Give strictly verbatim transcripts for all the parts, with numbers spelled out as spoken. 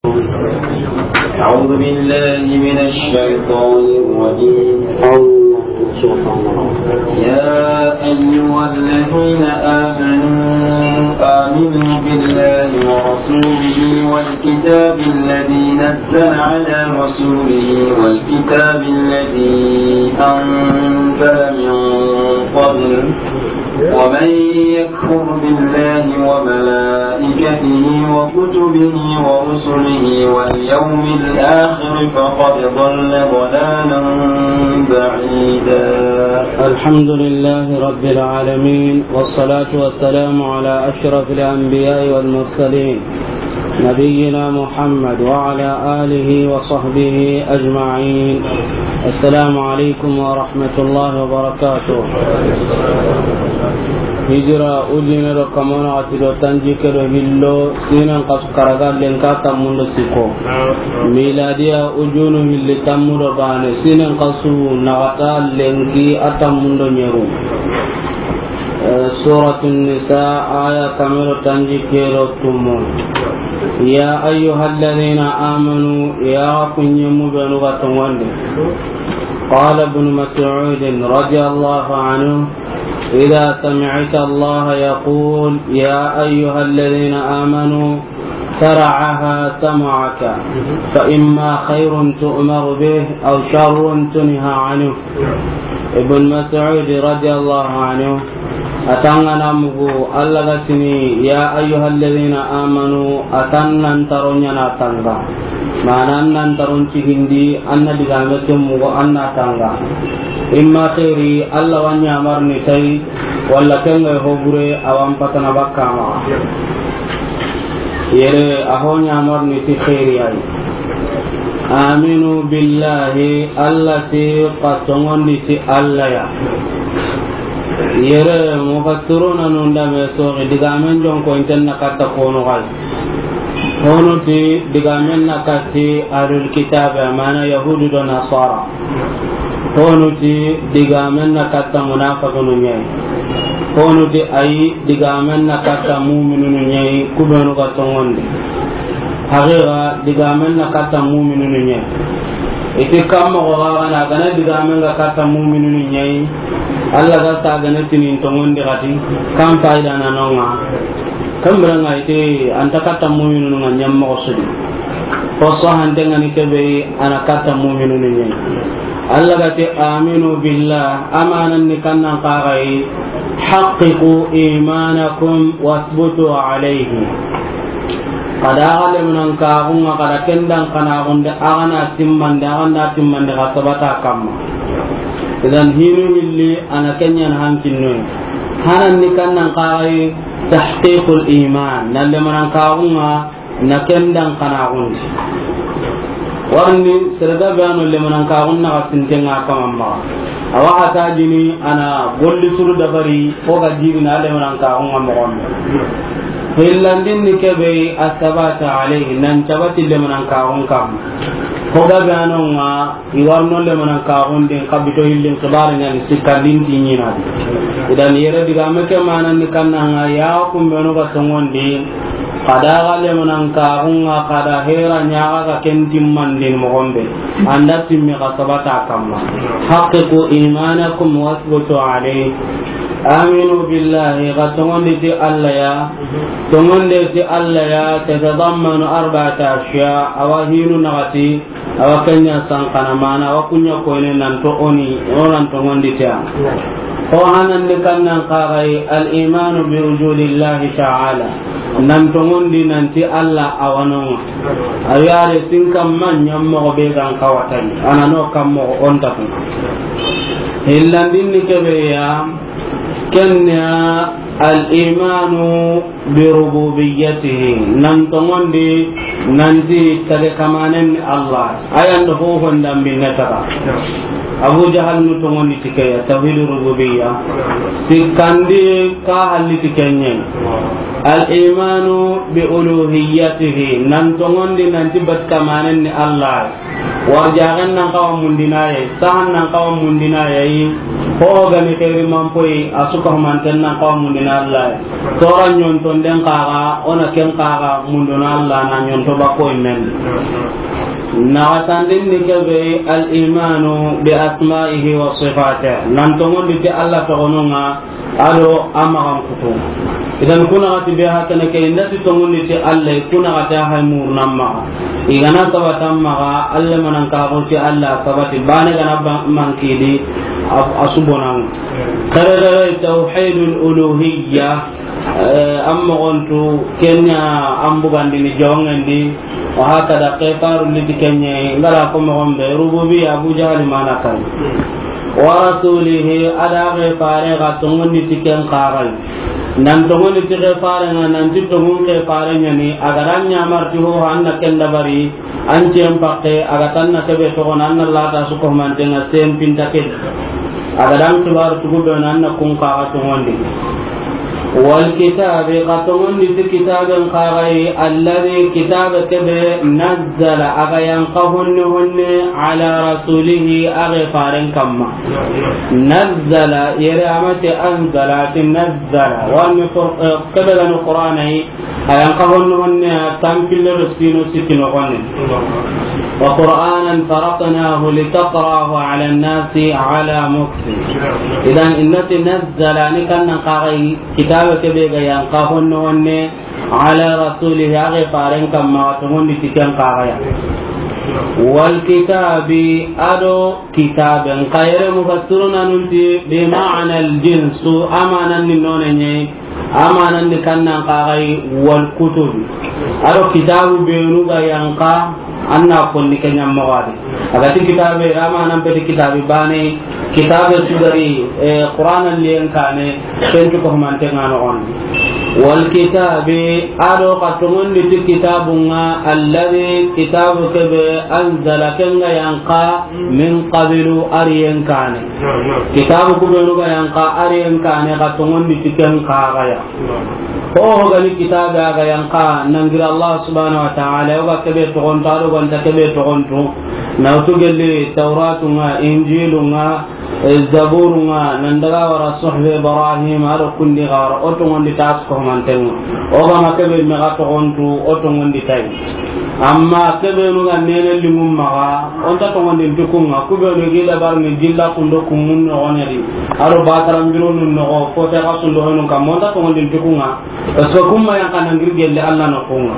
أعوذ بالله من الشيطان الرجيم. يا أيها الذين آمنوا آمنوا بالله ورسوله والكتاب الذي نزل على رسوله والكتاب الذي أنزل من قبل، ومن يكفر بالله وملائكته وكتبه ورسله واليوم الآخر فقد ضل ضلالا بعيدا. الحمد لله رب العالمين، والصلاة والسلام على أشرف الأنبياء والمرسلين، نبينا محمد وعلى آله وصحبه أجمعين. السلام عليكم ورحمة الله وبركاته. Hijira ujine do kamana ati do tanjikke do hillo, sinan kasu karaga lenki tammu do sikko. Miladiya ujunu hilli tammu do baane, sinan kasu naxata lenki tammu do ɲeru. Eh, Suratu Nisa, aya kame do tanjikke do tumu. يا أيها الذين آمنوا، ya ku ɲemu benu ga tongondi. قال ابن مسعود رضي الله عنه: إذا سمعت الله يقول: يا أيها الذين آمنوا، فرعها سمعك، فإما خير تؤمر به أو شر تنهى عنه. Ibn Mas'ud radiyallahu anhu, a ti an ga na mugu, Alla ga tini, يا أيها الذين آمنوا, a ti an nan taro ɲaana tanga. Maana an nan taron cigindi, an na digame ke mugu, an na tanga. Imma xeeri, Alla wa ɲamarni tay, walla ken ga ho bure, a wa n patana bakka ma. Yere, a ho ɲamarni ti xeeri ay. آمنوا بالله, Alla ti xa tongondi ti Alla ya. Yere, mufassiruna nun da me soxi, digamen jonko inten na katta kono gal. Hono ti digamen na katti ahlul kitabe, amana Yahudu do Nasara. Honu ti digamen na katta munafiqunu ɲa yi. Honu ti ayi, digamen na katta muminunu ɲa yi, ku benu ga tongondi. Haqiqa, digamen na katta muminunu ɲa yi. I ti kamma ko ga na gana digamen ga katta muminunu ɲa yi. Alla ga sa gana tinin tongondi xati, kan fayda na nonga. Kambiranga i ti an ta katta muminunu ŋa ɲammoxo su di. Fo sahanten ga ni kebe, a na katta muminunu ɲa yi. Alla ga ti, آمنوا بالله, amanan ni kannan kaxayi, حققوا إيمانكم واثبتوا عليه. Xa da xa lemunan kaxunga, xa da ken dan xanaxunde, a xa na timmande, a xa na timmande, xa sabata kamma. Idan hinu hilli, a na ken ɲa na hankinnoyi. Hanan ni kannan kaxayi, تحقيق الإيمان, na lemunan kaxunga, na ken dan xanaxundi. Warni, sere ga be a no lemunan kaxun na xa sintenga kamamma. Awa xa ta jini a na golli suru dabari, o ga jiri na lemunan kaxunga moxon. Hillandin ni kebe, الثبات عليه, nan cabati lemunan kaxun kam. Ko ga be a no nga, I warno lemunan kaxundin, xa bito hillin, xibari ɲa ni sikkandin ti ɲina di. Idan yere digame ke manan ni kannanga, ya ku benu ga tongondi, xa da xa lemunan kaxunga, xa da hera ɲa xa ga ken timmandin moxon be. An da timmi xa sabata kamma. حققوا إيمانكم واثبتوا عليه. آمنوا بالله, xa tongondi ti Alla ya, tongonde ti Alla ya, تتضمن أربعة أشياء, a wa hinu naxati, Awa ken ɲa sankana mana, awa ku ɲa koyne nan to o ni, o nan tongondi ti a. Ko hanan ni kannan kaxayi, الإيمان بوجود الله تعالى. Nan tongondi nan ti Alla a wa no nga. A yare sin kamma ɲammoxo be gan kawatani. A na no kammoxo o nta ku. Hillandin ni kebe ya, ken ya الإيمان بربوبيته, nan tongondi nanti tage kamanen ni Alla. Ayan do ho honda binne taga. Abu Jahal nu tongondi ti ke ya, tawhid rububiyya. Sikkandi ka halli ti ken ɲa. الإيمان بألوهيته, nan tongondi nanti bat kamanen ni Alla. Warjaxen nan xawa mundinaye, sahan nan xawa mundinaye yi, Ho gani xeeri manpoyi, a su ka humanten nan xawa mundini Alla. Toora ɲontonden xaxa, o na ken xaxa mundini Alla na ɲonto ba koyi men. Naxatandin ni ke be, al imanu bi asma'ihi wa sifatihi, nan tongondi ti Alla toxonun ŋa, a do a maxan kutu. Idan ku naxati be hakene ke, i nda ti tongondi ti Alla, ku naxati a hay muruna maxa. I ga na sabata maxa, Alla manan ka xo ti Alla sabati, bane ga na ba-, mankidi, a, a su bonan. Xere xere tawhidul uluhiyya, eh, an moxontu, kenya an bugandini jongendi, wa hakada, xefaru liti kenye, ngara ko moxon be, rububiya, Abu Jahali mana kan. Wa rasulihi, a da xefare ga tongondi ti ken xaxay. Nan tongondi ti xefare nga, nan ti tongun xefare ɲani, a ga da ɲamar ti ho, an na ken dabari, an cen pakke, a ga tan na kebe toxon, an na lata su ko mantenga sen pinta ke. A ga dan kibar tugu be nan na kun xaxa tongondi. Wal kitabi, xa tongondi ti kitaben xaxay, alladhi, kitabe kebe, nazzala, a ga yanqa honne honne, ala rasulihi, a xefaren kamma. Nazzala, yere a ma ti anzala, ti nazzala. Warni Qur-, eh, kebe gani Qur'ana yi, a yanqa honne honne, a tampille do sino sikki noxon ne. Wa Qur'anan faraqnahu litaqra'ahu ala an-nasi ala muksin. Idan, i na ti nazzala ni kan nan xaxay, kitabe kebe ga yanqa honne honne, ala rasulihi, a xefaren kamma, tongondi ti ken xaxaya. Wal kitabi, a do kitaben. Xa yere mufassiruna nun ti bi ma'na al jinsu, a manan ni none ɲe, a manan ni kan nan xaxay, wal kutubi. A do kitabu benu ga yanqa, an na konni ke ɲammoxo a di. A ga ti kitabe, a manan peti kitabe bane, kitabe sugari, eh, Qur'ana liyen kane, ken tu ko mantenga noxon. Wal kitabi, a do xa tongondi ti kitabun ŋa, alladhi, kitabu kebe, anzala, ken ga yanqa, min qablu, a riyen kane. Kitabu kubenu ga yanqa, a riyen kane, xa tongondi ti ken xaxaya. Ho ho gani kitabe a ga yanqa, nan giri Allah subhanahu wa ta'ala, o ga kebe toxonto, a do ga nta kebe toxonto. Na wutu gelli Tawratu ŋa, Injilu ŋa, eh, Zaburu ŋa, nan daga wara Suhuf Ibrahim, a do kundi xara, o tongondi ta su ko mantenga. O ga ma kebe me ga toxonto, o tongondi tay. Amma kebenu ga nene lingum maxa, o nta tongondin ti kun ŋa, kubenu gi dabar ni jilla kundo kumun noxon ŋa di. A do bataran bironu noxo, ko te xa sundo honu kamma, o nta tongondin ti kun ŋa. Parce que kun ma yanqa nan giri gelle Alla noxon ŋa.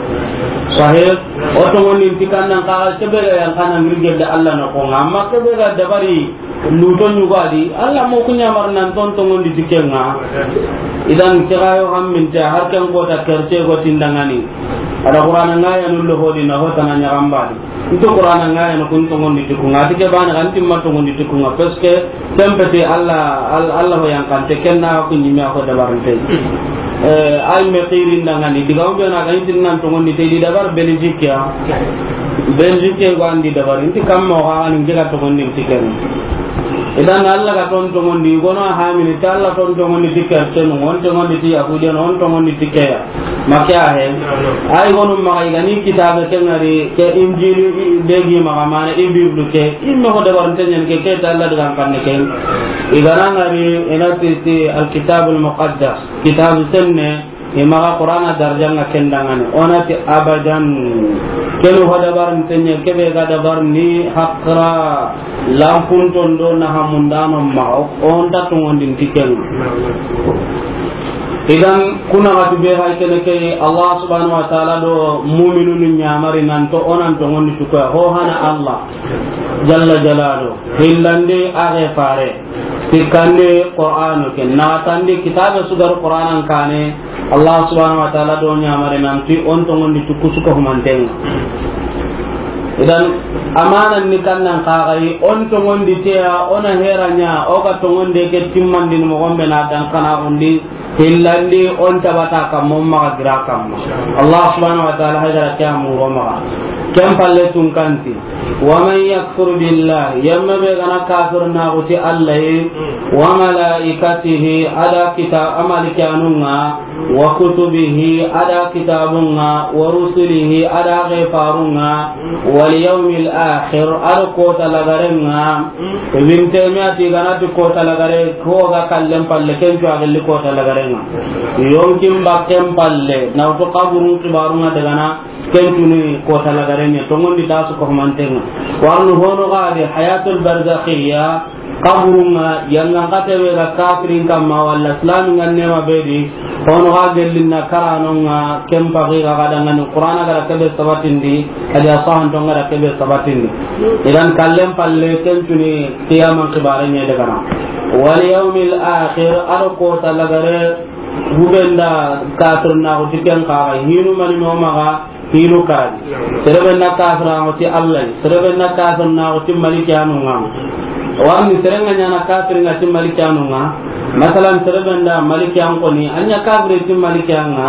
Sahih, o tongondin ti kan nan xaxa kebe ga yanqa nan giri gelle Alla noxon ŋa. Amma kebe ga dabari luto ɲugo a di, Alla mo ku ɲamar nan ton tongondi ti ken ŋa. Idan ke ga yo hamminte, har ken kota kerce go tindangani. A da Qur'ana ŋa ya nullo hodi na hota na ɲaxambadi. Nto Qur'ana ŋa ya no kun tongondi ti kun ŋa. A ti ke bane kan timma tongondi ti kun ŋa. Parce que tempete Alla, Al-, Alla ho yanqante, ken na ku ɲime a ho dabarinte. Eh, ay me xirin dangani, diga o be na ga intin nan tongondi te di dabar Belgique ya. Belgique go andi dabar, inti kamma o ga ni ngega tongondi ti ken. Idan Alla ga ton tongondi, gono a hamini, ta Alla ton tongondi ti kercenu, on tongondi ti yahudiyan, on tongondi ti keya. Ma ke a he. Ay gonu maxa i ga ni kitabe ke ŋari, ke Injili i, be gi maxa mana, i Bible ke, i me ho dabarinte ɲen ke, ke ta Alla digan kanne ke. I ga na ŋari, i na ti, ti Alkitabul Muqaddas, kitabu senne, i maxa Qur'ana darjanga ken dangani. O na ti abadan. Kenu ho dabarinte ɲe, kebe ga dabar ni haqra, lanpunton do na hamundano maxa, o nta tongondin ti ken. Idan, ku naxati be hay kene ke, Allah subhanahu wa ta'ala do mu'minunu ɲamari nan to, o nan tongondi ti kuya, ho hana Allah jalla jalalu, hillandi a xefare. Sikkandi Qur'anu ke, naxatandi kitabe su ga ri Qur'anan kane, Allah subhanahu wa ta'ala do ɲamari nanti on tongondi ti ku su ko humanten ŋa. Idan, amanan ni kannan kaxayi, on tongondi teya, o na hera ɲa, o ga tongonde ke timmandini moxon be na dankana xundi, hillandi on tabata kamma, on maxa gira kamma. Allah subhanahu wa ta'ala haydara ke a muro maxa. Ken palle tunkanti. Wa man yakfur billah, yemme be ga na kafirnaaxu ti Alla yi, wa malaikatihi, a da kita-, a malikiyanu ŋa, wa kutubihi, a da kitaabun ŋa, wa rusulihi, a da xeefarun ŋa, wal yawmil akhir, a do koota lagaren ŋa. Ibn Taymiya ti ga na ti koota lagare, ko ga kallen palle, ken cu a gelli koota lagaren ŋa. Yonkin bakken palle, na wutu kaburun xibaarun ŋa daga na, ken cu ni koota lagaren ŋa, tonŋundi ta su ko manten ŋa. Warnu hono ga di hayatul barzakhiya, kaburun ŋa, yangan kate be ga kafirin kamma, walla islamin ŋa nema be di, hono ga gellin na karanon ŋa, ken paxi ga ga dangani, Qur'ana ga da kebe sabatindi, a di a sahanton ga da kebe sabatindi. Idan kallen palle, ken cu ni qiyaman xibaare ɲa daga na. Wal yawmil akhir, a do koota lagare, hubenda kafirnaaxu ti ken kaxa, hinu mani no maxa, hinu karagi. Sere be na kafirnaaxu ti Alla yi, sere be na kafirnaaxu ti malikiyanu ŋa. Warni sere ŋa ɲaana kafirin ŋa ti malikiyanu ŋa. Masalan, sere be na malikiyan koni, a ɲa kafiri ti malikiyan ŋa.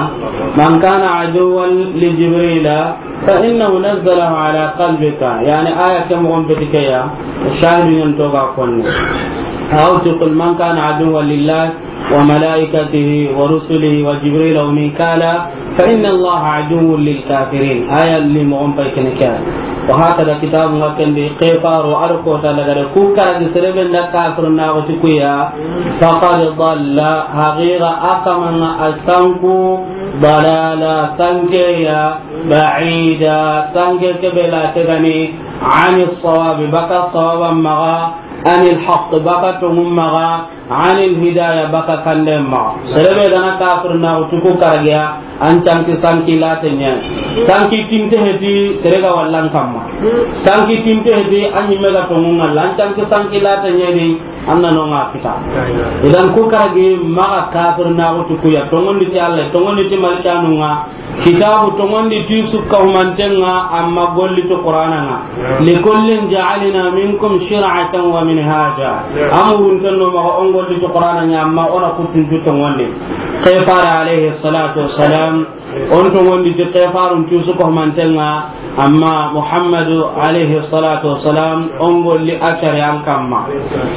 Man kana aduwwan li Jibrila, fa innahu nazzalahu ala qalbika. Yani, aya ke moxon beti ke ya, shahidu ɲan to ga konni. Aw tuqul man kana aduwwan lillah wa malaikatihi wa rusulihi wa Jibrila wa Mikala, fa inna Allaha aduwwun lil kafirin. Aya li moxon pay kene ke ya. Wa hakada kitabu ŋa ken di, xeefaro a do koota lagare, ku karagi sere be nda kafirnaaxu ti ku ya, faqad dalla, haqiqa a kaman ŋa a sanku, dalala, sanke ya, ba'ida, sanke ke be la tegani, ani sawabi, baka sawaba maxa, ani alhaq, baka tonŋu maxa, ani alhidaya, baka kande maxa. Sere be ga na kafirnaaxu ti ku karagiya, an canki sanki late ɲa. Sanki kinte heti, sere ga wallan kamma. Sanki kinte heti, an ɲimme ga tonŋun ŋalla, an canki sanki late ɲa di, an na no ŋa kita. Idan ku karagi maxa kafirnaaxu ti ku ya, tonŋundi ti Alla, tonŋundi ti malikiyanu ŋa, kitaabu tonŋundi ti sukka humanten ŋa, amma golli ti Qur'ana ŋa. Likullin ja'alna minkum shir'atan wa minhaja. Amurunten no maxa o n golli ti Qur'ana ŋa, amma o na kuttun cu tonŋundi. Xeefare alayhi salatu wassalam, o n tonŋundi ti xeefarun cu sukka humanten ŋa, amma Muhammadu alayhi salatu wassalam, o n golli a sariyan kamma.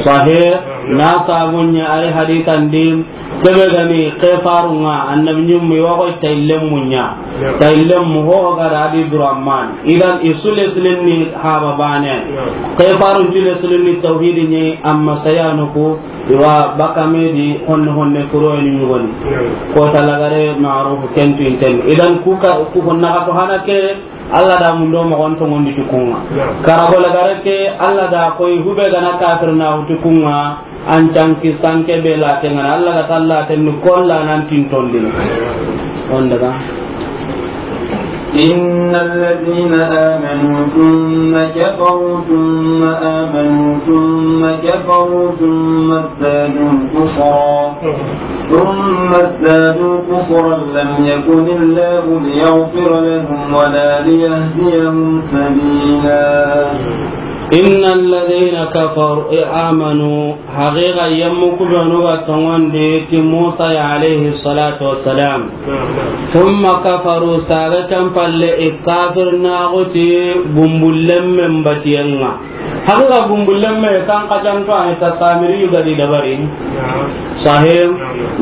Sahih, na sabu ɲa a ri hadisan di, ke be ga ni xeefarun ŋa, annabi ɲimmu, i wa xo i tayillen mu ɲa. Tayillen mu ho ga da a di Abdurrahman. Idan i su lesilin ni haba baane. Xeefarun cu lesilin ni tawhidi ɲa, amma sayanu ku, i wa baka me di honne honne kuroyeni ɲugoni. Koota lagare ma'ruf ken tu inten. Idan ku ka, ku honna ka to hana ke, Alla da mundo moxon tonŋundi ti ku ŋa. Karago lagare ke, Alla da koy hube ga na kafirnaaxu ti ku ŋa, an canki sanke be late ŋa na, Alla ga ta laten ni kolla nan tintondini. On daga. إن الذين آمنوا ثم كفروا ثم آمنوا ثم كفروا ثم ازدادوا كفرا ثم ازدادوا كفرا لم يكن الله ليغفر لهم ولا ليهديهم سبيلا. إن الذين كفروا، آمنوا، haqiqa yemmu ku be nu ga tonŋundi ti Musa ya alayhi salatu wassalam. Thumma kafaru, saga can palle i kafirnaaxu ti gumbullen men batiyen ŋa. Haqiqa gumbullen me kan kajanto a ni ta Samiri yu ga di dabari. Sahih.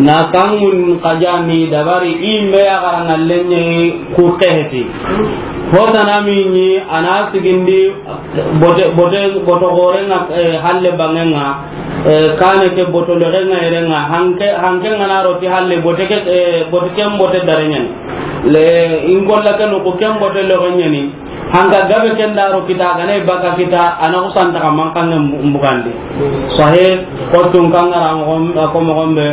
Na kanŋun kajani dabari i me ya garangallen ɲa ku xeheti. Hotana mi ɲi a na sigindi bote, bote, boto gore ŋa, eh, halle bange ŋa, eh, kane ke boto lege ŋa yere ŋa, hanke, hanke ŋa na ro ti halle bote ke, eh, bote ken bote dare ɲa ni. Le in golla ke no ko ken bote lege ɲa ni. Hanga gabe ken da ro kita, ga na i baka kita, a na xusanta ka mankanŋe mbu-, mbugandi. Sahih, ko tun kangara moxon, ko moxon be,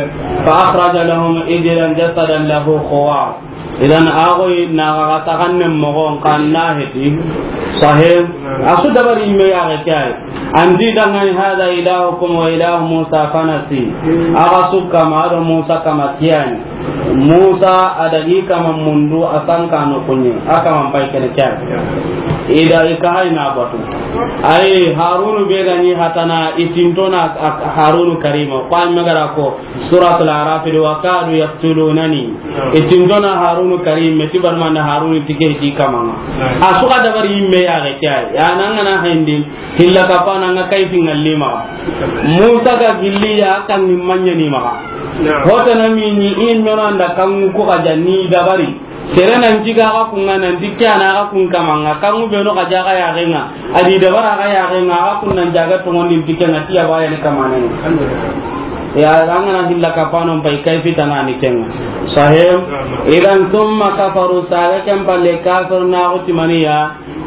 fa akhraja lahum ijlan jasadan lahu khuwar. Idan a xoyi na ga taxannen moxon kan na heti. Sahih, a su dabari me ya ga kay. Andi dangan hada ilahukum wa ilahu Musa fanasi. A ga su kama do Musa kama kiyani. Musa a dagi kama mundu a sanka no kunye. A kama pai kene kiyani. I da i ka hay na batu. Ay, Harunu be ga ni hatana, i tinto na a-, Harunu Karima. Ko an magara ko, Suratul Araf, "Wa kadu yaqtulunani." I tinto na Harunu Karim, me ti barma na Harunu tike ti kamanga. A su ga dabari yimme ya ga kya. Ya nan ngana hayndi, hilla ka pa nan ga kayfi ngalima. Musa ga gilli ya kan ni manya ni ma. Hota na mi ni in nona nda kan ko ga janni dabari. Sere nan jiga ga kun nan di kya na ga kun kamanga, kan be no ga jaga ya genga. A di dabara ga ya genga, a kun nan jaga to ngondi tike na tiya ba ya ni kamane. Ya, an ngana hilla ka pa non pai kai fitana ni kenga. Sahih. Idan, thumma kafaru, saga ken palle kafir na utimaniya,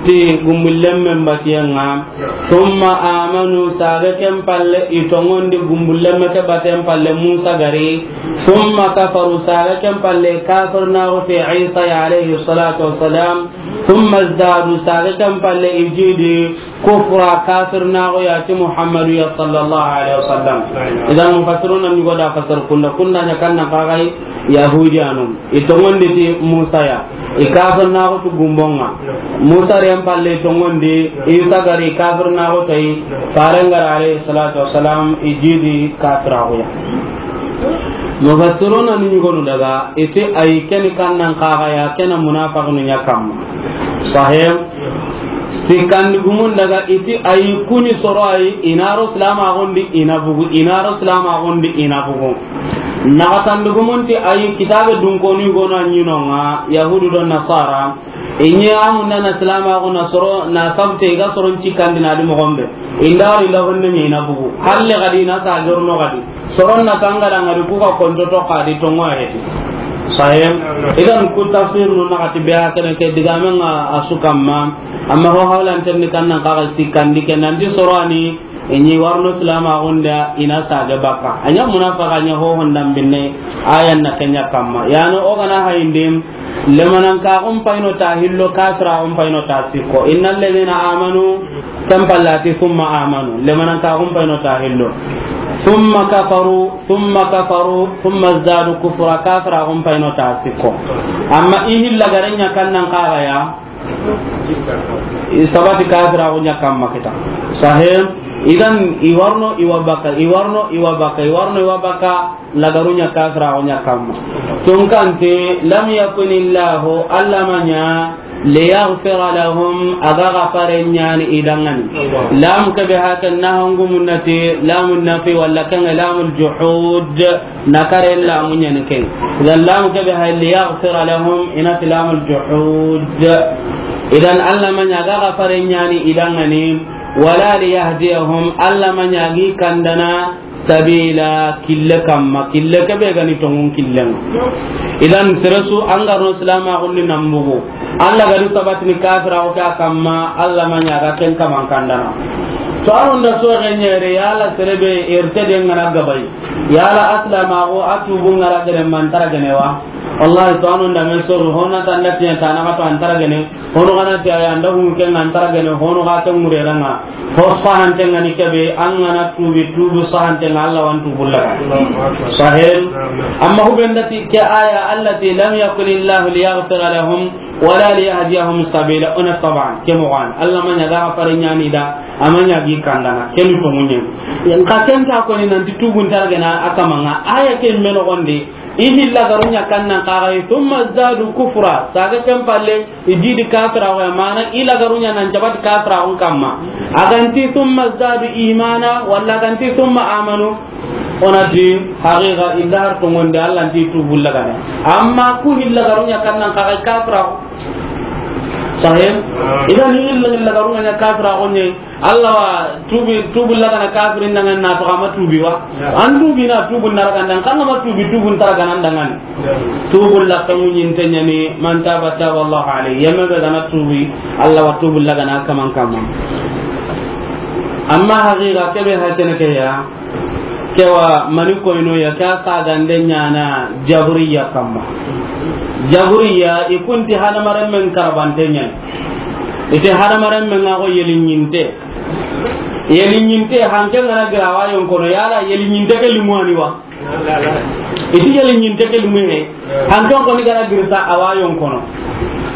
ti gumbullemme mbatiyenga. Thumma amanu, saga ken palle i tongondi gumbullemme ke baten palle Musa gari. Thumma kafaru, saga ken palle kafir na uti Isa ya alayhi salatu wassalam. Thumma zdadu, saga ken palle i jidi kufra, kafir na go ya ti Muhammadu ya sallallahu alaihi wasallam. Idan mufassiruna ni go da fasar kunda, kunda nya kan na kagai Yahudiyanu. I tongondi ti Musa ya. I kafir na go tu gumbonga. Musa ren palle tongondi, Isa gari kafir na go tai, farengara alayhi salatu wassalam, i jidi kafira go ya. Mufassiruna ni gonu daga, iti ay keni kannan kaga ya, kena munafiqunu nya kamma. Sahih. Sikandi gumun daga, iti ay kuni soro ay, inaro silama gondi ina bugu, inaro silama gondi ina bugu. Nakatandi gumun ti ay kitabe dunkoni gono anyinonga, Yahudu don Nasara, inye amunna na silama gona soro, na sabte ga soron cikandi na di mogombe. Inda wari inda honne ni ina bugu. Halle gadi na sa jorno gadi. Soron na tangara ngari ku ga konto to kadi tongo a heti. Sahih. Idan ku tafsir no na kati be a kene ke digame nga a su kamma. Amma ho hawlan tenni kannan kaga sikandi ke nan di sorani, inyi warno silama gonda ina sa ga baka. Anya munafiqa nya ho honda binne ayan na kenya kamma. Yano o gana hayindim, lemanankaxun payino ta hillo, kafiraxun payino ta sikko. Innal ladina amanu, ken pallati summa amanu. Lemanankaxun payino ta hillo. Summa kafaru, summa kafaru, summa zdadu kufra, kafiraxun payino ta sikko. Amma i hilla garenya kannan kaxaya, i sabati kafiraxu nya kamma kita. Sahih. Idan i warno i wa baka, i warno i wa baka, i warno i wa baka. Lagarunya kafiraxunya kamma. Tunkante, lam yakuni Allahu, Alla ma ɲa, liyaghfira lahum, a ga gafare ɲaani i danŋani. Lam ke be hakan na hangu munnati, lamun nafi walla kan lamul juhud, na kare lamu ɲaani ken. Idan lam ke be hay liyaghfira lahum, ina ti lamul juhud. Idan Alla ma ɲa ga gafare ɲaani i danŋani, wala liyahdiyahum, Alla ma ɲa gi kandana, sabila, kille kamma, kille ke be gani tongun killen. Idan seresu an garno silama gundi nambugu. Alla gadi sabatini kafira o ka kamma, Alla ma ɲa ga ken kaman kandana. To aron da so ga ɲere yala serebe erte de ngana gabai. Yala aslama go atubu ngara gere mantara gene wa. Wallahi to anon da men so hona tanda tiya tana ka to antara gene. Hono gana ti aya nda hum ken antara gene, hono ga ken mureranga. Ho sahante ngani kebe, an gana tubi, tubu sahante nga Alla wan tubu laga. Sahel. Amma hubenda ti ke aya allati lam yakun Allahu liyaghfira lahum wala liyahdiyahum sabila. Ona taban, ke mo wan. Alla ma ɲa ga fare ɲaani da, ama ɲa gi kandana, ken ko munye. Yan ka ken ta ko ni nanti tubu ntargena akamanga. Aya ke meno gonde, i hilla garunya kannan kagai, thumma zadu kufra, saga ken palle, i jidi kafira wa, mana i lagarunya nan jabat kafira on kamma. Aganti thumma zadu imana, walla aganti thumma amanu, onati, haqiqa, illa har tongonde, Alla nti tubu lagana. Amma ku hilla garunya kannan kagai kafira. Sahih? Idan hilla, hilla garunya kafira onye, Alla wa tubi, tubu lagana kafirin dangan na to ama tubi wa. An tubi na tubu narakan dan kan ama tubi, tubu narakan dangan. Tubu lakamu nyinte nyani, man taba taba Allah alayhi. Yamma be gana tubi, Alla wa tubu lagana kaman kaman. Amma haqiqa kebe hakene ke ya, kewa mani koyno ya ka ka gande nyana jaburiya kamma. Jaburiya ikunti hadamaren men karabante nyani. Ite hadamaren men ngago yelinyinte. Yelinyinte hanke ngana gira wayon kono, yala yelinyinte ke limwani wa. Iti yelinyinte ke limwe. Hanke ko ni gara girsa awayon kono.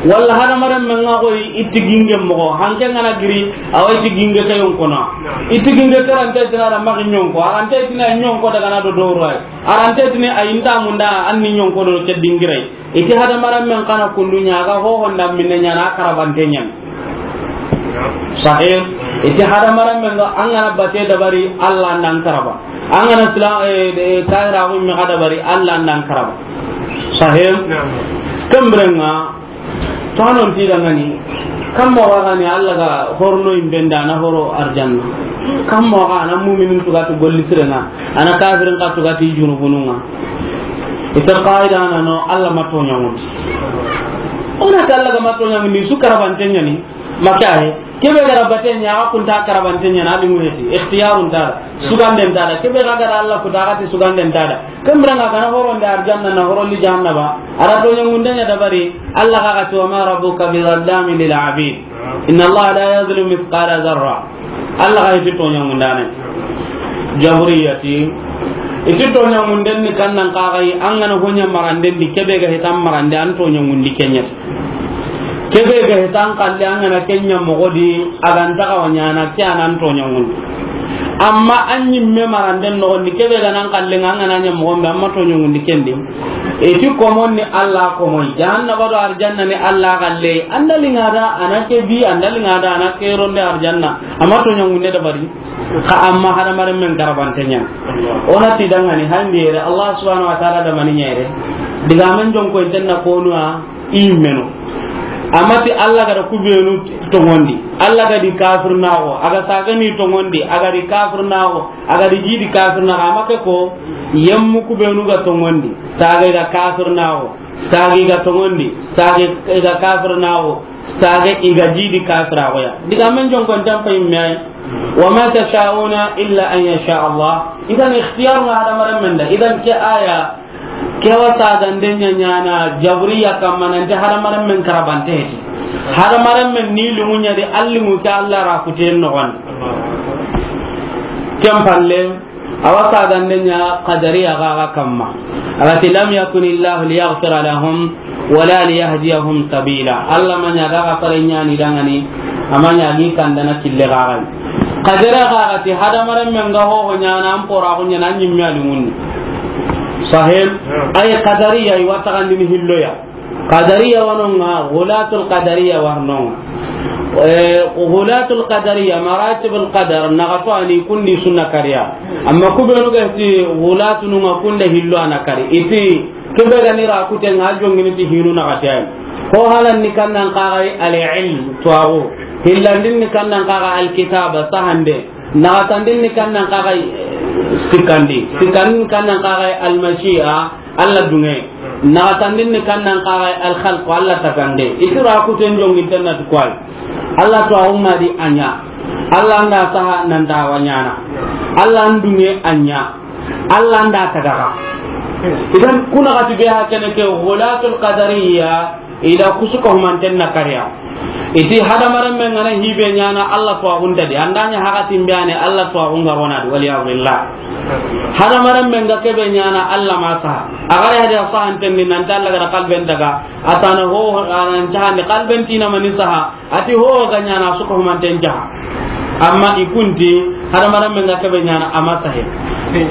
Walla hadamarenmen ŋa xoyi i ti ginge moxo, hanke ŋa na giri, a wa i ti ginge ke yonko na. I ti ginge ke ra nta i ti na da maxi ɲonko, a ra nta i ti na ɲonko daga na do doro ay. A ra nta i ti ni a yi nta munda an ni ɲonko do ke dingiray. I ti hadamarenmen xa na kundu ɲa, a ga hoho nda minne ɲa na karabante ɲa. Sahih. I ti hadamarenmen ga an ga na bate dabari, Allah ndan karaba. An ga na sila, eh, eh, kayra ko mi ga dabari, Allah ndan karaba. Sahih. Naam. Kembirenga, to anon ti dangani, kam mo ga ni Allah ga horno imbenda na horo arjanna. Kam mo ga na mu'minin tugati golli sirenga, ana kafirin ka tugati junubununga. Ita qaida na no Allah ma to ɲamundi. Ona ta Allah ga ma to ɲamundi su karabante ɲa ni. Maka he. Kebe ga ra bate ɲa, a kunta karabante ɲa na, a limu heti. Ikhtiyarun ta da. Suganden ta da. Kebe ga ga ra Allah kuta, a ga ti suganden ta da. Kembirenga ga na horo nda arjanna na horo li jahannaba. A ra to ɲamunde ɲa dabari. Allah ga ga ti, "Wa ma rabbuka bi zallamin lil abid. Inna Allah la yazlimu mithqala zarra." Allah ga heti to ɲamundane. Jabriyati. I ti to ɲamunden ni kannan kaxayi, an ga na ho ɲa maranden di, kebe ga hetan marande, an to ɲamundi ke ɲa. Kebe ga hetan kalle, an ga na ke ɲa moxo di, a ga nta xa wa ɲana, ke a nan to ɲamundi. Amma an ɲimme maranden noxon di, kebe ga nan kalle, an ga na ɲa moxon be, an ma to ɲamundi ken di. I ti komon ni Allah komoyi, jahannaba do arjanna ni Allah kalle, an da liŋa da, a na ke bi, an da liŋa da, a na ke ronde arjanna, a ma to ɲamunde dabari. Xa amma hadamarenmen karabante ɲa. Ona ti dangani handi yere, Allah subhanahu wa ta'ala da mani ɲa yere. Digamen jonko intenna konuwa i meno. Amma ti Allah ga da kubenu tongondi. Allah ga di kafir naxo, a ga sagani tongondi, a ga di kafir naxo, a ga di jidi kafir naxo, amma ke ko yemmu kubenu ga tongondi. Saga ga kafir naxo, sagi ga tongondi, sagi ga kafir naxo. Sage i ga jidi kafiraxoya. Digamen jonko ntan pay me ay. Wa ma tasha'una illa an yasha Allah. Idan ikhtiyar nga hadamarenmen da. Idan ke aya, ke wa sagande ɲa ɲana Jabriya kamma nanti hadamarenmen karabante heti. Hadamarenmen ni liŋu ɲa di, a liŋu ke Allah ra kuten noxon. Ken palle, Awa sagande ɲa Qadariya ga ga kamma. A ga ti, "Lam yakuni Allahu liyaghfira lahum wala liyahdiyahum sabila." Allah ma ɲa ga ga fare ɲani dangani, a ma ɲa gi kandana kille ga ga. Qadariya ga ga ti, hadamarenmen ga ho ho ɲana, an pora ko ɲana, an ɲimme a liŋunni. Sahib, ay Qadariya i wa tagandini hilloya. Qadariya wanonga, Ghulatul Qadariya warnonga. Eh, Ghulatul Qadariya, Maratibul Qadar, naxato ani kundi sunna kariya. Amma kubenu ga ti Ghulatununga kunde hillo ana kari. Iti kebe gani ra kutenga jongini ti hinu naxati ay. Ho halan ni kannan kagai al-ilm, tuwaxu. Hillandin ni kannan kagai al-kitaba, sahande. Naxatandin ni kannan kagai sikkandi. Sikkandin ni kannan kagai al-mashi'a. Allah dunge. Naxatandin ni kannan kaga al-khalq, Allah tagande. Itira kuten jonginten na ti koy. Allah to a umma di a ɲa. Allah nda saha nanda wa ɲana. Allah ndunge a ɲa. Allah nda tagaga. Idan kuna gati be ha kene ke Ghulatul Qadariya ila kusuka humanten na kariya. Iti hadamarenmen ga na hibe ɲana Allah to a gunta di. Andanya hakatin be ane Allah to a gunga rona di. Wal iyadu billah. Hadamarenmen ga kebe ɲana Allah ma saha. A ga ya da sahanten ni nan ta Allah ga da kalben daga. Atana ho anan jahande kalben tina mani saha. Ati ho ga ɲana suka humanten jaha. Amma ikunti hadamarenmen ga kebe ɲana ama sahe.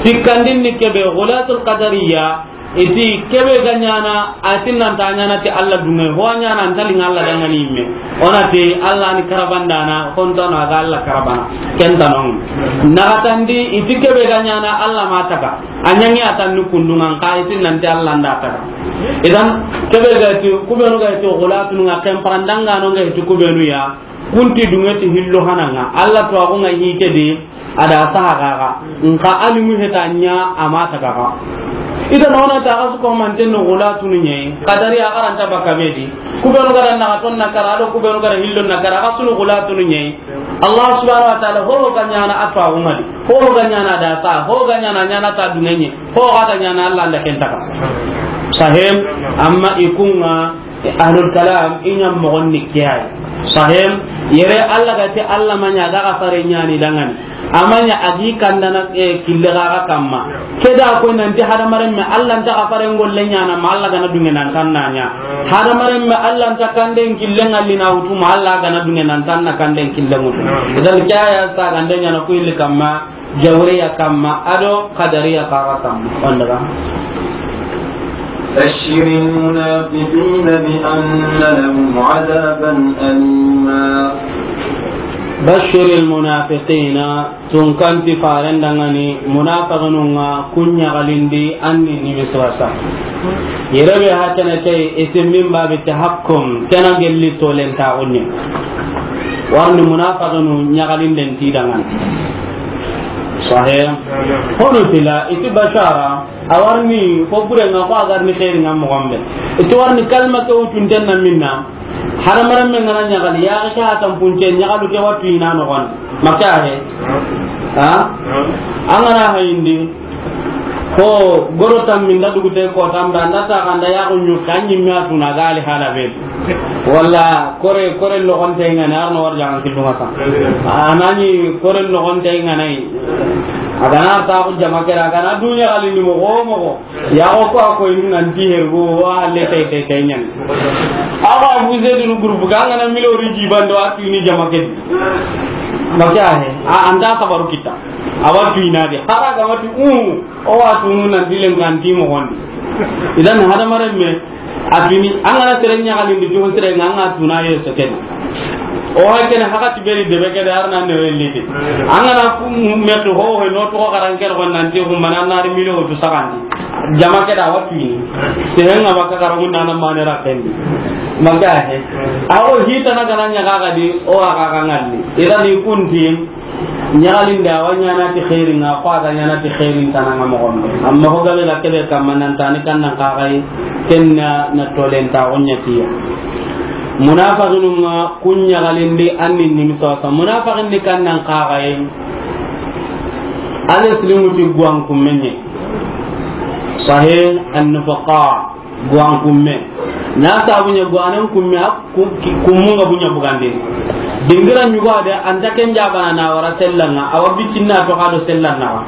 Sikkandin ni kebe Ghulatul Qadariya. Iti kebe ga ɲana, ati nan ta ɲana ti Allah dunge, ho ɲana an ta linga Allah dangani imme. Ona ti Allah ni karabandana, kontano aga Allah karabana. Kentanon. Naxatandi, iti kebe ga ɲana Allah ma taga. A ɲangi atan ni kundungan ka iti nan ti Allah nda taga. Idan, kebe ga ti, kubenu ga ti, Ghulatununga, ken parandanga no ga ti kubenu ya. Kunti dunge ti hillo hananga. Allah to a gunga hike di. Ada saha gaga. Nka a limu heta ɲa ama ta gaga. Ida nona ta ga suko manten no Ghulatunu ɲe. Qadari a garanta baka bedi. Kubenu gara na ton na kara do kubenu gara hillo na kara ga sunu Ghulatunu ɲe. Allah subhanahu wa ta'ala ho ga ɲana atwa umadi. Ho ga ɲana da sa. Ho ga ɲana ɲana ta dunenye. Ho ga ɲana Allah nda kentaka. Sahim, amma ikunga ahlul kalam inya mogonni kiyai. Sahim, yere Allah ga ti Allah ma ɲa ga fare ɲani dangani. Amanya agi kandana, eh, kille gaga kamma. Keda ko nanti hadamaren me Allah nta kafaren golle ɲana ma Allah gana dunge nan tan nanya. Hadamaren me Allah nta kanden kille ngalli na wutu ma Allah gana dunge nan tan na kanden kille wutu. Idan kaya sa gande ɲana ko illi kamma, jawriya kamma, ado qadariya kaga kamma. Wanda ga. بشر المنافقين بأن لهم عذابا أليما. بشر المنافقين. Tunkanti faren dangani, munafiqinun ŋa kun ɲagalindi, anni nimisi wasa. Yere be hakene ke, isim min babi tahakkum, kena gelli tolen ta gunni. Warni munafiqinu ɲagalinden ti dangani. Sahih. Hono tila, iti bashara, awarni, fo bure nga, ko agarni khairi nga mo gombe. Iti warni kalma ke utunten na minna. Hadamaren men gana ɲagali, ya ga ke hatan punce, ɲagalu ke watu ina no gon. Maka he. Ha? An gana hayindi. Ko goro tammi nda dugute ko tamba, nda ta kanda ya ko nyu kanyi mi atuna gali hala be. Walla kore, kore logonte ngana arno warja an kilunga sa. Anani kore logonte ngana yi. Agana ta ko jama kera, agana dunya gali ni mo go mo go. Ya ko ko ko inu nan ti hergo wa le tay tay tay nyan. Awa Abu Zaid nu groupe ga ngana milo ri jibando atu ni jama ke. Maka he. A anda sabaru kita. Awa tu ina de. Hara ga matu u o wa tunu nan dilen kan ti mo gondi. Idan hadamaren me atini angana sere ɲagalindi to sere nganga tuna ye so ken. O hakene hakati beri debe ke dar nan ne welli de. Angana ku me to ho ho no to karan ker gon nan ti hu manan nar milo to sagandi. Jama ke da watu ni. Sehenga baka karamun nan mane rakendi. Maka he. Awo hita na kana ɲaga ga di o aga ga ngalli. Idan ni kunti ɲagalinde a wa ɲana ti xeerin ŋa, ko a ga ɲana ti xeerin tana ŋa moxon be. Amma ho gabe ga kebe kamma nan tani kan nan kaxay, ken na, na tolen ta o ɲa tiya. Munafiqinun ŋa kun ɲagalindi an ni nimisi wasa. Munafiqin ni kan nan kaxay, ale silimu ti guwan kummenye. Sahih an-nufaqa. Guwan kumme. Na sabu ɲa guwanen kumme, a ku-, ki-, kummun ga buɲa bugandini. Dingira ɲugo a de, anta ken jabana na wara sellan ŋa, awa bicinna to xa do sellan na.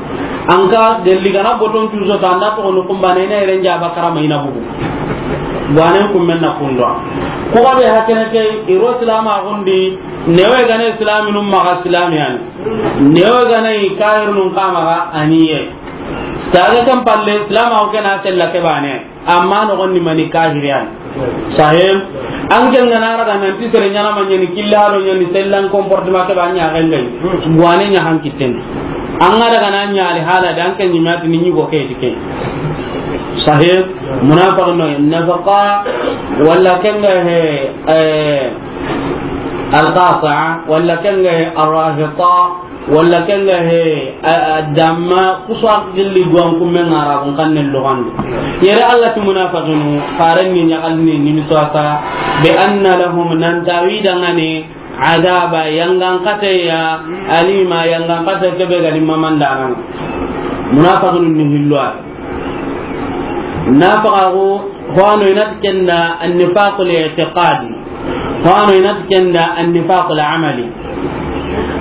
An ka gelli gana boton cuso ta, anda to no kumba ne, ne ren jaba karama ina bugu. Guwanen kumme na kundo. Ku ga be hakene ke, iro silama gundi, newe gane silaminun maxa silamiyan. Newe gane i kahirunun kama ga aniye. Saga kan palle silama ko kena sella ke bane. Amma no gonni mani kahiriyan. Sahim. An ken gana raga nan ti sere ɲana ma ɲani killa haro ɲani sellan comportement ke ba ɲa ga ngai. Guwane ɲa han kitten. An ga daga na ɲa ali hala dan ken ɲimati ni ɲugo ke dike. Sahim. Munafiq no nafaqa wala ken ga he, eh, al-qasi'a wala ken ga he arrahita. Walla ken ga he, a, a, damma kusa gilli guwan kumme ŋa ra kun kanne lugandi. Yere Allah ti munafiqinu, faren ni ɲaxalni ni miswasa, bi anna lahum, nan tawi dangani, adaba, yangan kateya, alima, yangan kate kebe ga ni mamandana. Munafiqinu ni hilwa. Nafaqaxu, hoano inati kenda annifaqul i'tiqadi, hoano inati kenda annifaqul amali.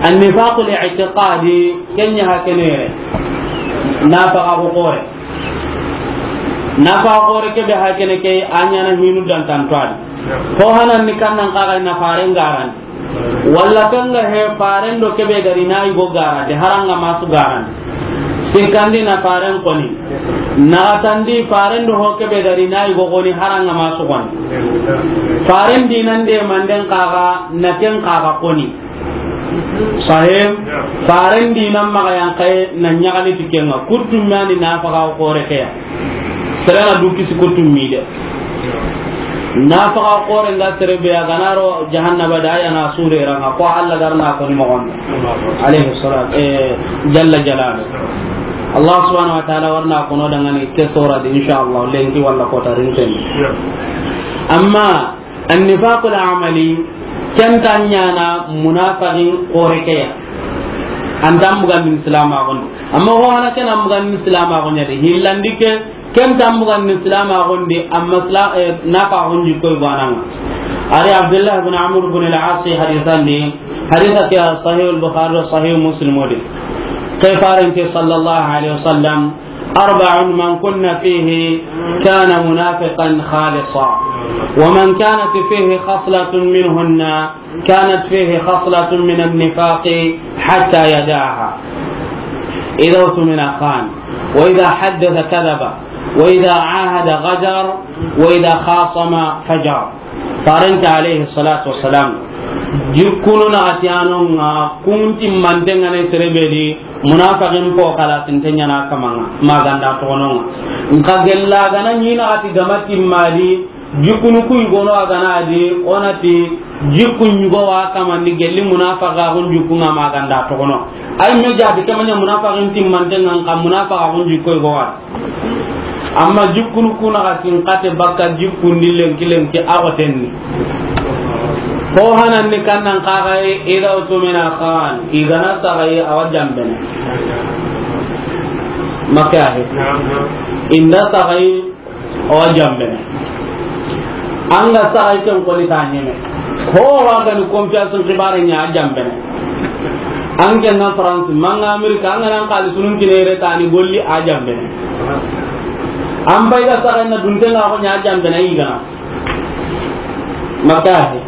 Annifaqul i'tiqadi, kenya hakenere. Nafaqaxu xore. Nafaqaxu xore kebe hakene ke, a ɲana hinu dantantoadi. Ho hanan ni kannan kaga na faren garan. Walla kanga he faren do kebe gari na yugo garante haranga masu garante. Sikandi na faren koni. Na tandi faren do ho kebe gari na yugo koni haranga masu koni. Faren dinan de manden kaga na ken kaga koni. Sahim, faren dinan maga yan kai na ɲagali tikenga. Kurtum yani nafaqaxu xore ke ya. Serena du kisi ko tummi de. Nafaqaxu xore nga sere be a ga na ro jahannaba da, a ya na sure ranga ko Allah garna ko ni moxon. Alayhi salam, eh, jalla jalalu. Allah subhanahu wa ta'ala warna ko no dangani ke sora de, insha Allah, lenki wala ko tarin ten. Amma Annifaqul amali, ken ta ɲana munafaqin xore ke ya. An ta mbugandini silamaxun di. Amma ho hana ken an mbugandini silamaxun ya de. Hillandi ke, ken ta mbugandini silamaxun di, amma sila-, eh, nafaqun ji koy gwananga. Ari Abdullah ibn Amr ibn al-As hadithan di, haditha ke Sahih al-Bukhari, Sahih Muslim o de. Ke faaren ti sallallahu alayhi wa sallam, أربع من كن فيه كان منافقا خالصا، ومن كانت فيه خصلة منهن كانت فيه خصلة من النفاق حتى يدعها، إذا اؤتمن خان، وإذا حدث كذب، وإذا عاهد غدر، وإذا خاصم فجر. Faaren ti alayhi salatu wassalam, jikkunu naxati a no ŋa, kun timmanten ŋa ni sere be di, munafiqin po kala tinten ɲaana kaman ŋa, ma ga nda toxono ŋa. Nxa gella ga na ɲi naxati ga ma timma di, jikkunu ku yigono a ga na di, o na ti jikkun yigo wa kaman di gelli munafiqaxun jikkun ŋa ma ga nda toxono. Ay me jaabi ke ma ɲa munafiqin timmanten ŋa, nxa munafiqaxun jikko yigo wa. Amma jikkunu ku naxati n xate bakka jikkun di lenki lenki a xoten ni. Ko hanan ni kannan xaxaye, إذا اؤتمن خان, i ga na saxaye a wa janbene. Maka he. I nda saxaye a wa janbene. An ga saxaye ken koni ta ɲeme. Ko wa ga ni confiance n xibaare ɲa a janbene. An ke na France, ma an ga Amerique, an ga na xaalisunun kine yere tani golli a janbene. An bay ga saxaye na dunten ŋa ko ɲa a janbene i ga na. Maka he.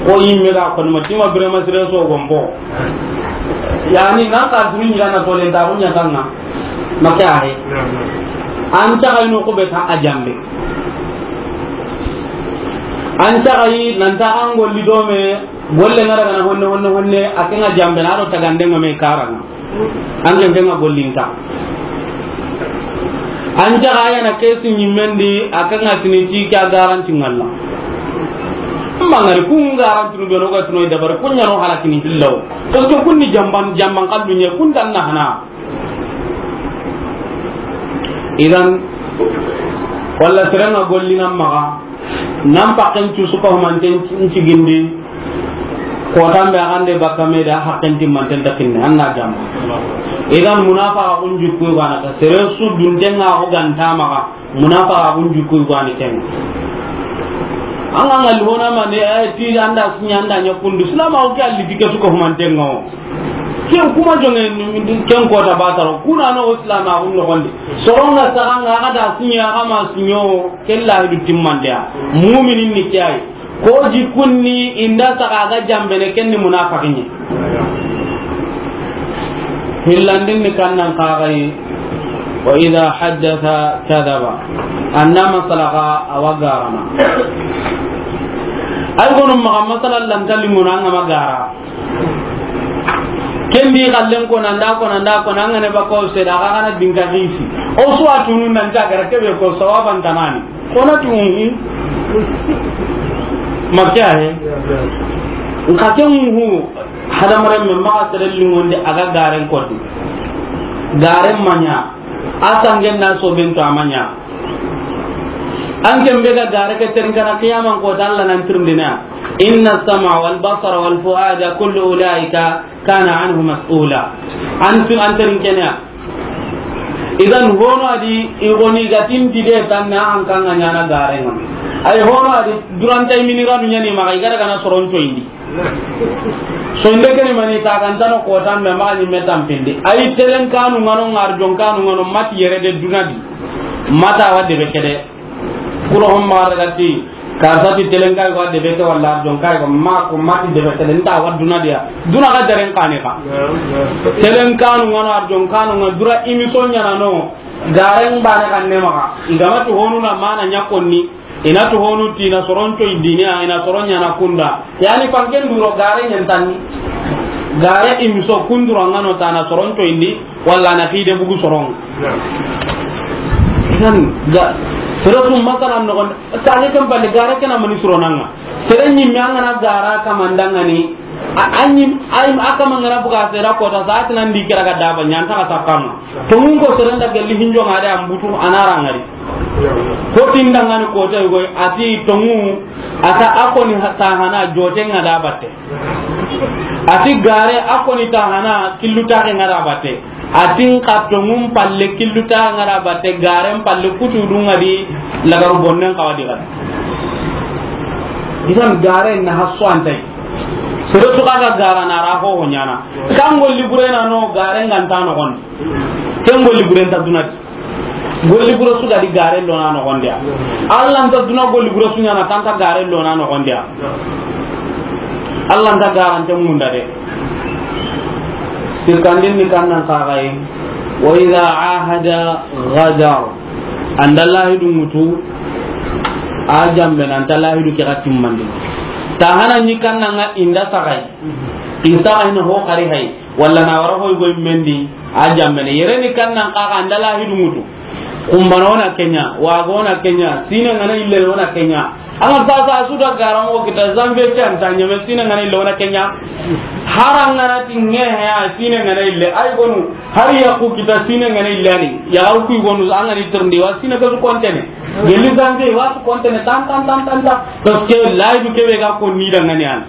Ko yimme ga ko ma tima Birama Sire so gombo. Yani nan xaalisunun ɲa na tole da ko ɲa tanga. Maka he. An ta ay no ko be ta a janbe. An ta ay nan ta an golli do me, golle ŋa daga na honne, honne, honne, a ke ŋa janbe na do tagande ŋa me karanga. An ke ŋa gollinta. An ta ay na kesi ɲimmen di, a ke ŋa tini ti ka garanti ŋalla. Mangari kun garanti no be no ga tuno dabari kun ɲa no halakini hillawo. Parce que kun ni jamban, jamban kallu ɲe kun dan na hana. Idan, walla sere ŋa gollina maxa, nan pakken cu su ko manten cigindi, ko tambe a gande bakka me da hakken timmanten ta kinne, an na jam. Idan, munafiqun jikku ga na ta, sere su dunten ŋa ko ganta maxa, munafiqun jikku ga ni ken. An ga ngal hona ma ne, eh, ti anda sinya anda ɲa kundu, silama o ke alli dike su ko manten ŋa o. Ken kuma jonge ken kota bataro. Kuna no silamaxun noxondi. Soronga saxanga, a ga da siɲo, a ga ma siɲo, ken lahidu timmandeya. Muminin ni ke ay. Ko jikunni, i nda saxa a ga janbene, ken ni munafiqin ɲa. Hillandin ni kannan xaxayi. وإذا حدث كذب. An na masala xa a wa garana. Ay gonu maxa masala lanta limuna an ga ma gara. Ken di xallen ko nan da ko nan da ko nan ga ne ba ko se da ga na dinga hisi. O su a tunu nan ta gara ke be ko sawaban tanani. Ko na tu, mhm. Makka he. Nka ken hu hadamaren me maxa sere lingonde a ga garen koti. Garen ma ɲa. A sangen na soben to a ma ɲa. An ken be ga gare ke terin kana qiyaman ko ta Allah nan tirindina. إن السمع والبصر والفؤاد كل أولئك كان عنه مسؤولا. An tu, an terin kenya. Idan hono a di i goni ga tinti de tanna an kan ga ɲana garen ŋa. Ay hono a di duranta i mini ranu ɲani maxa i ga daga na soron coyindi. Soyinde ke ni mani ta kan tano ko tan me maxa ni me tampindi. Ay telen kanu ŋa no ŋa arjon kanu ŋa no mati yere de duna di. Mata wa debe kede. Kuro hon maxa daga ti, karsa ti telen kay ko debe ke walla arjon kay ko ma ko mati debe kede nta wa duna diya. Duna ga daren kane ka. Telen kanu ŋa no arjon kanu ŋa dura imi so ɲana no. Garen bane kan ne maxa. I ga ma tu honu na mana ɲa konni. I na tu honu ti na soron coyindini, i na soron ɲana kunda. Yani panken duro gare ɲantanni. Gare imiso kunduro ŋa no ta na soron coyindi, walla na xide bugu soron. Idan ga, sere su masala noxon, kane kan balle gare ke na mani soronanga. Sere ɲimme an ga na gara kamandangani, a, a ɲim, a, a kama ŋa na buga sere ko ta sa ti nan di kira ga daba ɲanta ka sakama. Tongun ko sere nda gelli hinjo ŋa de ambutu a na rangari. Ko tindangani ko tay goy ati tongu ata a koni ta hana jote ŋa da batte. Ati gare a koni ta hana killu ta ŋa da batte. Ati nka tongun palle killu ta ŋa da batte garen palle kutu dunga di lagaru bonnen kawadi gadi. Idan gare na hasso antai. Sere su ga ga gara na ra ho ho ɲaana. Kan golli bure na no gare nga nta noxon di. Ken golli bure nta duna di. Golli bure su ga di gare lo na noxon di ya. Alla nta duna golli bure su ɲaana ta nta gare lo na noxon di ya. Alla nta garante munda de. Sikkandin ni kannan kaxaye. Wa idha ahada ghadar. An da lahidu ŋutu, a janbene, an nta lahidu ke xa timmandi. Ta hana ɲi kannan ŋa i nda saxay. I saxay na ho xari hay. Walla na wara hoy goy mendi, a janbene. Yere ni kannan kaxa an da lahidu ŋutu. Kumbano na ke ɲa, wago na ke ɲa, sine ŋa na ille na ke ɲa. An ga sasa su da gara mo kita zanbe ke an ta ɲeme sine ŋa na ille na ke ɲa. Hara ŋa na ti ŋe he a sine ŋa na ille. Ay gonu. Har yaxu kita sine ŋa na ille ni. Yaxu ku gonu an ga ni tirindi wa sine ka su kontene. Gelli zanbe wa su kontene tan, tan, tan, tan, tan. Parce que lahidu ke be ga ko ni da ŋa ni an.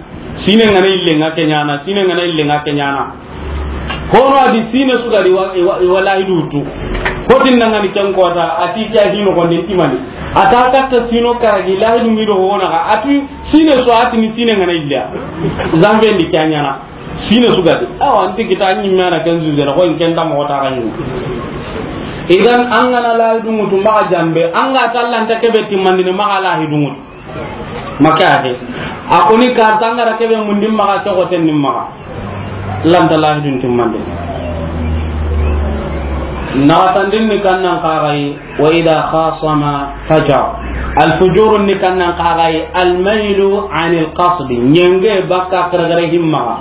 Sine ŋa na ille nga ke ɲaana, sine ŋa na ille nga ke ɲaana. Hono a di sine su ga di wa, wa, wa lahidu tu. Ko tin na ŋa ni ken kota, a ti ke a hino ko ni timani. A ta katta sino karagi lahidu ŋi do hona ga. A tu sine su a ti ni sine ŋa na ille. Zanbe ndi ke a ɲaana. Sine su ga di. Awa, an ti kita ɲi mana ken zuze na, ko in ken da mo ta ga ɲi. Idan an ga na lahidu ŋutu maxa janbe, an ga ta lanta ke be timmandi ni maxa lahidu ŋutu. Maka ake. A ko ni karta an ga ra ke be mundi maxa ke ko ten ni maxa. Lanta lahidun timmandi. Naxatandin ni kannan kaxayi. Wa idha khasama fajar. Al fujurun ni kannan kaxayi. Al mailu anil qasdi. Ɲenge bakka xerexere himmaxa.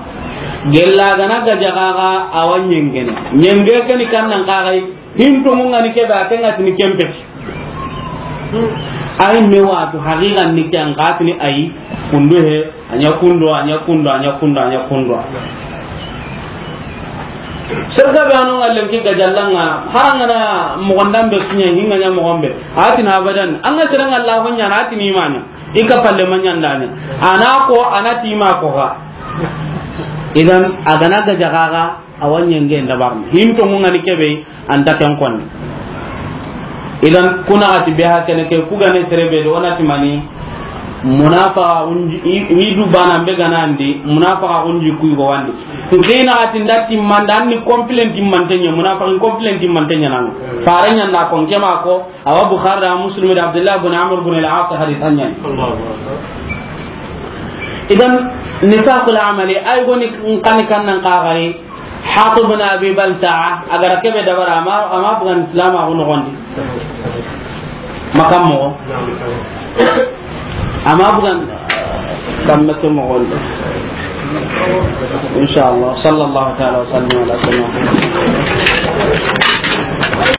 Gella gana gaja kaxa awa ɲengene. Ɲenge ke ni kannan kaxayi. Hinto mun ga ni ke be a ke ŋa ti ni kempe. Ay me watu haqiqan ni ke an ga ti ni ay kundu he. A ɲa kundo, a ɲa kundo, a ɲa kundo, a ɲa kundo. Serga be ano ŋallen ki gajallanga, harangana mogondan be kiɲe, hinga ɲa mogon be. A ti na abadan, an ga sere ŋa la ho ɲaana, a ti ni ma ɲa. I ka palle ma ɲandane. A na ko, a na ti ma ko ga. Idan, a gana gaja kaxa, a wa ɲenge ndabarni. Hinto mun ga ni ke be, an ta ken konni. Idan kuna ati be ha kene ke ku ga ne sere be do, o na ti mani munafaqa unji, i, i du bana be gana andi, munafaqa unji ku go wandi. Nkina ati ndati manda ni complaint mantenya, munafaqa complaint mantenya nan. Fare ɲa na kon kema ko, awa Bukhari da Muslim da Abdullah bin Amr bin al-As hadith anyan. Idan nifaqul amali, ay goni kan kan nan ka gari. Hatib bin Abi Balta'a, a ga ra ke be dabara, ama, ama bugan Islam a gono gondi. Makam mo. Ama bugan kamme ke mo gondi. Inshallah, sallallahu ta'ala wa sallam ala sayyidina Muhammad.